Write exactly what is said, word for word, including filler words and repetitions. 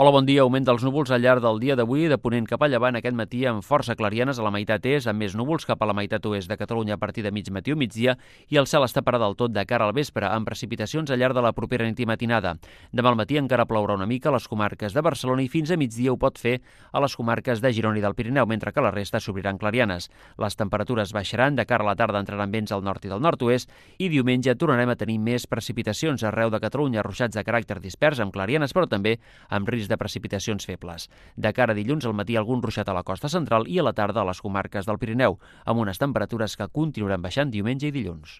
Hola, bon dia. Augment dels núvols al llarg del dia d'avui, de ponent cap a llevant aquest matí amb força clarianes a la meitat est, amb més núvols cap a la meitat oest de Catalunya a partir de mig matí o migdia, i el cel està parat del tot de cara al vespre, amb precipitacions al llarg de la propera nit i matinada. Demà al matí encara plourà una mica a les comarques de Barcelona i fins a migdia ho pot fer a les comarques de Girona i del Pirineu, mentre que la resta s'obriran clarianes. Les temperatures baixaran, de cara a la tarda entraran vents al nord i del nord-oest, i diumenge tornarem a tenir més precipitacions arreu de Catalunya, ruixats de caràcter dispers amb clarianes, però també amb risc de precipitacions febles. De cara a dilluns al matí algun ruixat a la costa central i a la tarda a les comarques del Pirineu, amb unes temperatures que continuaran baixant diumenge i dilluns.